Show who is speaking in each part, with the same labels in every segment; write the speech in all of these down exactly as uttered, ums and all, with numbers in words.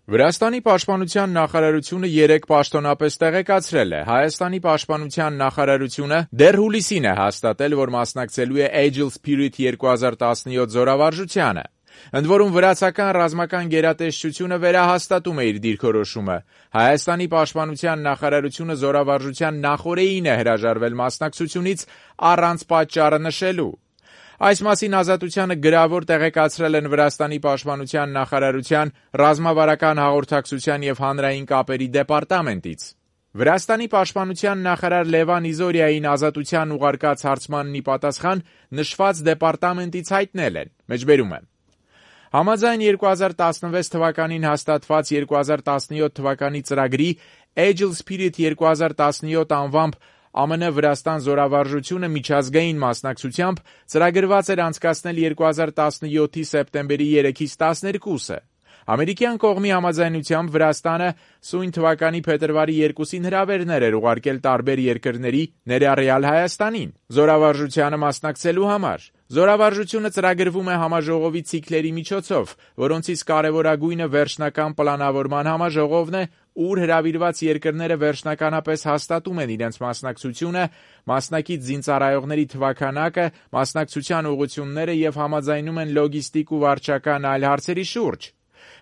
Speaker 1: Վրաստանի պաշտպանության նախարարությունը երեկ պաշտոնապես տեղեկացրել է. Հայաստանի պաշտպանության նախարարությունը դեռ հուլիսին է հաստատել, որ մասնակցելու է Agile Spirit երկու հազար տասնյոթ զորավարժությանը։ Ընդ որում վրացական ռազմական գերատեսչությունը վերահաստատում է իր դիրքորոշումը։ Հայաստանի պաշտպանության նախարարությունը զորավարժության նախօրեին է հրաժարվել մասնակցությունից առանց պատճառը նշելու։ Այս մասին Ազատությանը գրավոր տեղեկացրել են Վրաստանի պաշտպանության նախարարության ռազմավարական հաղորդակցության և հանրային կապերի դեպարտամենտից։ Վրաստանի պաշտպանության նախարար Լևան Իզորիային Ազատության ուղարկած հարցմանն ի պատասխան նշված դեպարտամենտից հայտնել են. Մեջբերում եմ. Համաձայն երկու հազար տասնվեց թվականին հաստատված երկու հազար տասնյոթ թվականի ծրագրի Agile Spirit երկու հազար տասնյոթ անվամբ ԱՄՆ Վրաստան զորավարժությունը միջազգային մասնակցությամբ ծրագրված էր անցկացնել երկու հազար տասնյոթի սեպտեմբերի երեքից տասներկուսը։ Ամերիկյան կողմի համաձայնությամբ Վրաստանը սույն թվականի փետրվարի երկուսին հրավերներ էր ուղարկել տարբեր երկրների, ներառյալ Հայաստանին, զորավարժությանը մասնակցելու համար։ Զորավարժությունը ծրագրվում է համաժողովի ցիկլերի միջոցով, որոնցից կարևորագույնը վերջնական պլանավորման համաժողովն է, ուր հրավիրված երկրները վերջնականապես հաստատում են իրենց մասնակցությունը, մասնակից զինծառայողների թվաքանակը, մասնակցության ուղղությունները և համաձայնում են լոգիստիկ ու վարչական այլ հարցերի շուրջ։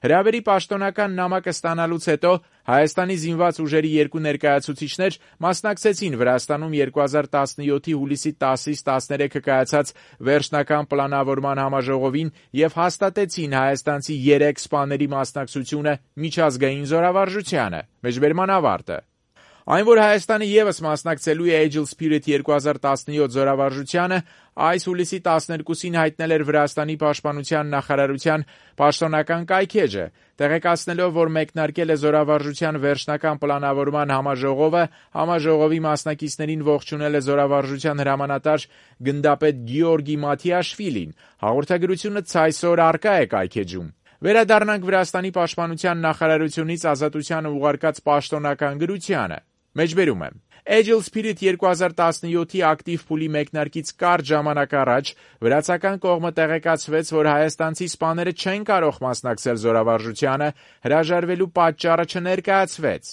Speaker 1: Հրավերի պաշտոնական նամակը ստանալուց հետո Հայաստանի զինված ուժերի երկու ներկայացուցիչներ մասնակցեցին Վրաստանում երկու հազար տասնյոթի հուլիսի տասից տասներեքը կայացած վերջնական պլանավորման համաժողովին և հաստատեցին հայաստանցի երեք սպաների մասնակցությունը միջազգային զորավարժությանը։ Մեջբերման ավարտը։ Այն, որ Հայաստանը ևս մասնակցելու է Agile Spirit երկու հազար տասնյոթ զորավարժությանը, այս հուլիսի տասներկուսին հայտնել էր Վրաստանի պաշտպանության նախարարության պաշտոնական կայքէջը, տեղեկացնելով, որ մեկնարկել է զորավարժության վերջնական պլանավորման համաժողովը, համաժողովի մասնակիցներին ողջունել է զորավարժության հրամանատար գնդապետ Գեորգի Մաթիաշվիլին։ Հաղորդագրությունը ցայսօր առկա է կայքէջում։ Վերադառնանք Վրաստանի պաշտպանության նախարարությունից Ազատությանը ուղարկած պաշտոնական գրությանը։ Մեջբերում եմ. Agile Spirit երկու հազար տասնյոթի ակտիվ փուլի մեկնարկից կարճ ժամանակ առաջ վրացական կողմը տեղեկացվեց, որ հայաստանցի սպաները չեն կարող մասնակցել զորավարժությանը, հրաժարվելու պատճառը չներկայացվեց։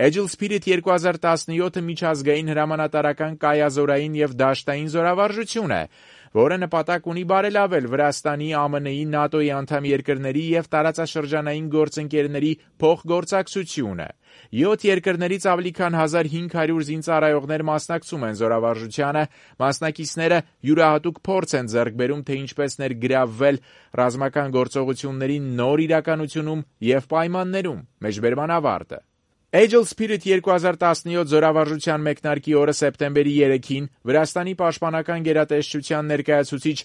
Speaker 1: Agile Spirit երկու հազար տասնյոթը միջազգային հրամանատարական կայազորային և դաշտային զորավարժություն է, որը նպատակ ունի բարելավել Վրաստանի, ԱՄՆ-ի, ՆԱՏՕ-ի անդամ երկրների և տարածաշրջանային գործընկերների փոխգործակցությունը։ Յոթ երկրներից ավելի քան հազար հինգ հարյուր զինծառայողներ մասնակցում են զորավարժությանը, մասնակիցները յուրահատուկ փորձ են ձեռք բերում, թե ինչպես ներգրավվել ռազմական գործողությունների նոր իրականությունում և պայմաններում։ Մեջբերման ավարտը։ Agile Spirit երկու հազար տասնյոթ զորավարժության մեկնարկի օրը սեպտեմբերի երեքին Վրաստանի պաշտպանական գերատեսչության ներկայացուցիչ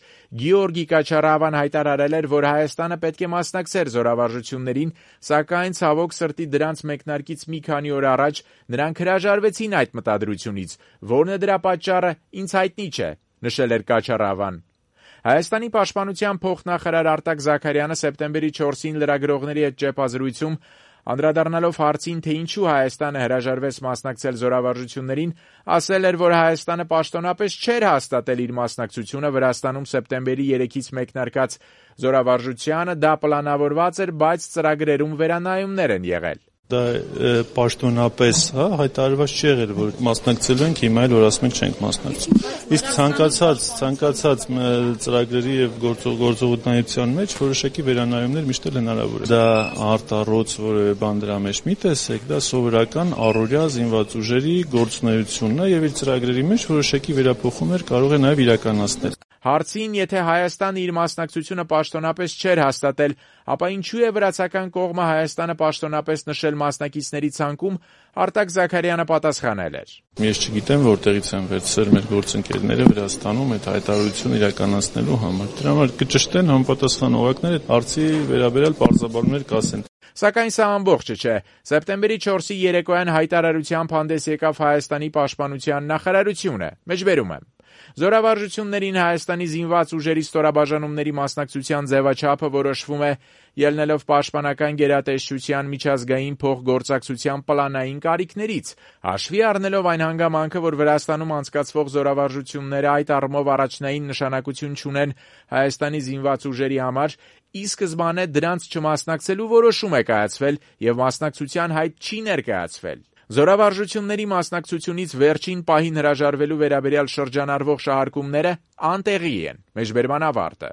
Speaker 1: Գեորգի Կաչարավան հայտարարել էր, որ Հայաստանը պետք է մասնակցեր զորավարժություններին, սակայն ցավոք սրտի դրանց մեկնարկից մի քանի օր առաջ նրանք հրաժարվեցին այդ մտադրությունից, որն է դրա պատճառը ինձ հայտնի չէ, նշել էր Կաչարավան։ Հայաստանի պաշտպանության փոխնախարար Արտակ Զաքարյանը սեպտեմբերի չորսին լրագրողների հետ ճեպազրույցում անդրադառնալով հարցին, թե ինչու Հայաստանը հրաժարվեց մասնակցել զորավարժություններին, ասել էր, որ Հայաստանը պաշտոնապես չէր հաստատել իր մասնակցությունը Վրաստանում սեպտեմբերի երեքից մեկնարկած զորավարժությանը, դա պլանավորված էր, բայց ծրագրերում վերանայումներ են եղել։
Speaker 2: Դա պաշտոնապես հա, հայտարարված չի եղել, որ մասնակցելու ենք, հիմա էլ որ ասում ենք չենք մասնակցում։ Իսկ ցանկացած ցանկացած ծրագրերի եւ գործողությունների մեջ որոշակի վերանայումներ միշտ էլ հնարավոր է։ Դա արտառոց որևէ բան դրա մեջ մի տեսեք, դա սովորական առօրյա զինված ուժերի գործունեությունն է եւ իր ծրագրերի մեջ որոշակի վերափոխումներ կարող է նաեւ իրականացնել։
Speaker 1: Հարցին, եթե Հայաստանը իր մասնակցությունը պաշտոնապես չէր հաստատել, ապա ինչու է վրացական կողմը Հայաստանը պաշտոնապես նշել մասնակիցների ցանկում, Արտակ Զաքարյանը պատասխանել էր.
Speaker 2: Ես չգիտեմ, որտեղից են վերցրել մեր գործընկերները Վրաստանում այդ հայտարարությունը իրականացնելու համար։ Դրա համար կճշտեն համապատասխան օղակներ այդ հարցի վերաբերյալ պարզաբանումներ կասեն։
Speaker 1: Սակայն սա ամբողջը չէ։ Սեպտեմբերի չորսի երեկոյան հայտարարությամբ հանդես եկավ Հայաստանի պաշտպանության նախարարությունը։ Մեջբերում եմ. Զորավարժություններին Հայաստանի զինված ուժերի ստորաբաժանումների մասնակցության ձևաչափը որոշվում է ելնելով պաշտպանական գերատեսչության միջազգային փոխգործակցության պլանային կարիքներից, հաշվի առնելով այն հանգամանքը, որ Վրաստանում անցկացվող զորավարժությունները այդ առումով առաջնային նշանակություն չունեն Հայաստանի զինված ուժերի համար, ի սկզբանե դրանց չմասնակցելու որոշում է կայացվել եւ մասնակցության հայտ չի ներկայացվել։ Զորավարժությունների մասնակցությունից վերջին պահին հրաժարվելու վերաբերյալ շրջանառվող շահարկումները անտեղի են։ Մեջբերման ավարտը։